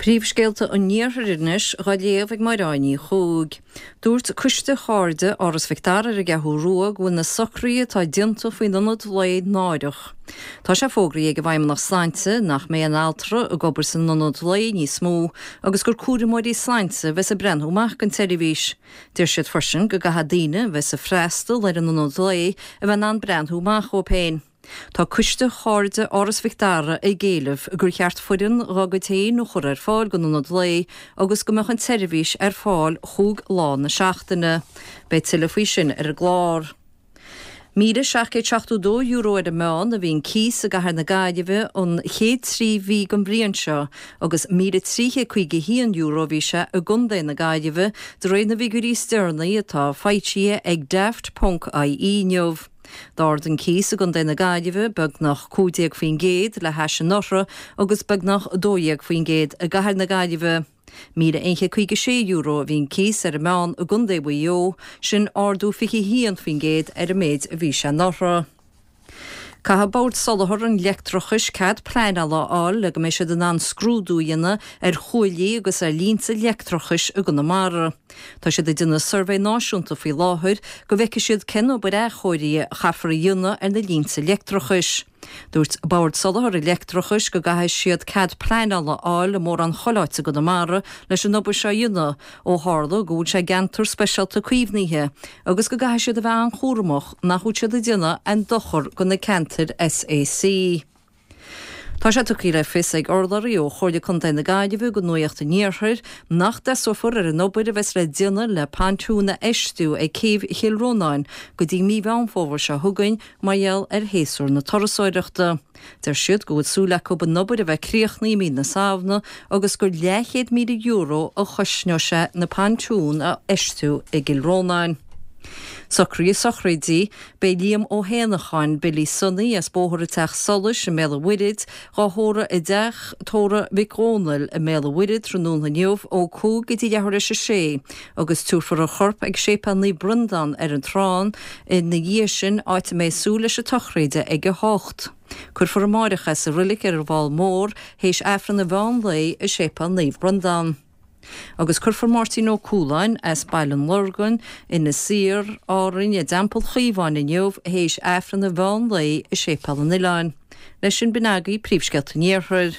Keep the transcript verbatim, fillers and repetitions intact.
Príomhscéalta an Iarthair anois á léamh ag Máire Ní Chuaig. Dúirt Coiste Chairde Áras Mhic Dara ar an gCeathrú Rua go bhfuil na socruithe atá déanta faoin ionad lae náireach. Tá sé fógraithe ag an bhFeidhmeannacht Sláinte nach mbeidh an altra ag obair san ionad lae níos mó agus gur cúramóirí sláinte a bheas ag breathnú amach don tseirbhís. Deir siad freisin go gcaithfidh daoine a bheas ag freastal ar an ionad lae a bheith in ann breathnú amach dóibh féin. Tá Coiste Chairde Áras Mhic Dara ag éileamh gur cheart foireann dá gcuid féin a chur ar fáil don ionad lae agus go mbeadh an tseirbhís ar fáil chúig lá na seachtaine. Beidh tuilleadh faoi sin ar an gclár. Míle seacht gcéad seachtó dó euro ar an meán a bhí an cíos i gcathair na Gaillimhe an chéad trí mhí den bhliain seo agus míle trí chéad caoga haon euro a bhí sé i gContae na Gaillimhe de réir na bhfigiúirí is deireanaí atá foilsithe ag Daft ponc IE inniu. D'ardaigh an cíos i gContae na Gaillimhe beagnach cúig déag faoin gcéad le hais anuraidh agus beagnach dó dhéag faoin gcéad i gcathair na Gaillimhe. Míle aon chéad caoga sé euro a bhí an cíos ar an meán i gContae Mhaigh Eo, sin ardú fiche haon faoin gcéad ar an méid a bhí sé anuraidh. Caithfidh Bord Soláthair an Leictreachais cead pleanála a fháil le go mbeidh siad in ann scrúdú a dhéanamh ar chuaillí agus ar línte leictreachais i gConamara. Tá siad ag déanamh suirbhé náisiúnta faoi láthair go bhfeicfidh siad cén obair athchóirithe a chaithfear a dhéanamh ar na línte leictreachais. Dúirt Bord Soláthair an Leictreachais go gcaithfidh siad cead pleanála a fháil i mórán chuile áit i gConamara leis an obair seo a dhéanamh ó tharla go bhfuil sé i gceantar speisialta caomhnaithe agus go gcaithfidh siad a bheith an-chúramach nach bhfuil siad ag déanamh aon dochar do na ceantair SAC. Tá sé tugtha le fios ag urlabhraí ó Chomhairle Contae na Gaillimhe do Nuacht an Iarthair nach dtosófar ar an obair a bheas le déanamh le pontún a fheistiú ag céibh Chill Rónáin go dtí mí Mheán Fómhair seo chugainn mar gheall ar shéasúr na turasóireachta. Deir siad go bhfuil súil acu an obair a bheith críochnaithe i mí na Samhna agus gur leathchéad míle euro a chosnóidh sé na pontúin a fheistiú i gCill Rónáin. Socruithe sochraide, Beidh Liam Ó hÉanacháin, Billy Sonny, as Bóthar an Teach Solais i mBéal an Mhuirthead, dhá thórramh i dTeach Tórraimh Mhic Dhónaill i mBéal an Mhuirthead tráthnóna inniu ó cúig go dtí leathuair théis a sé agus tabharfar a chorp ag Séipéal Naomh Breandán ar an Trán ina dhiaidh sin áit a mbeidh súil leis an tsochraid ag a hocht. Cuirfear amáireach é sa roilig ar an bhFál Mór théis Aifreann an mheán lae i Séipéal Naomh Breandán. Agus cuirfear Máirtín Ó Cualáin as Baile an Lorgain, Inis Oírr, Árainn, i dTeampall Chaomháin inniu théis Aifreann an mheán lae i Séipéal an Oileáin. Leis sin b'in agaibh príomhscéalta an Iarthair.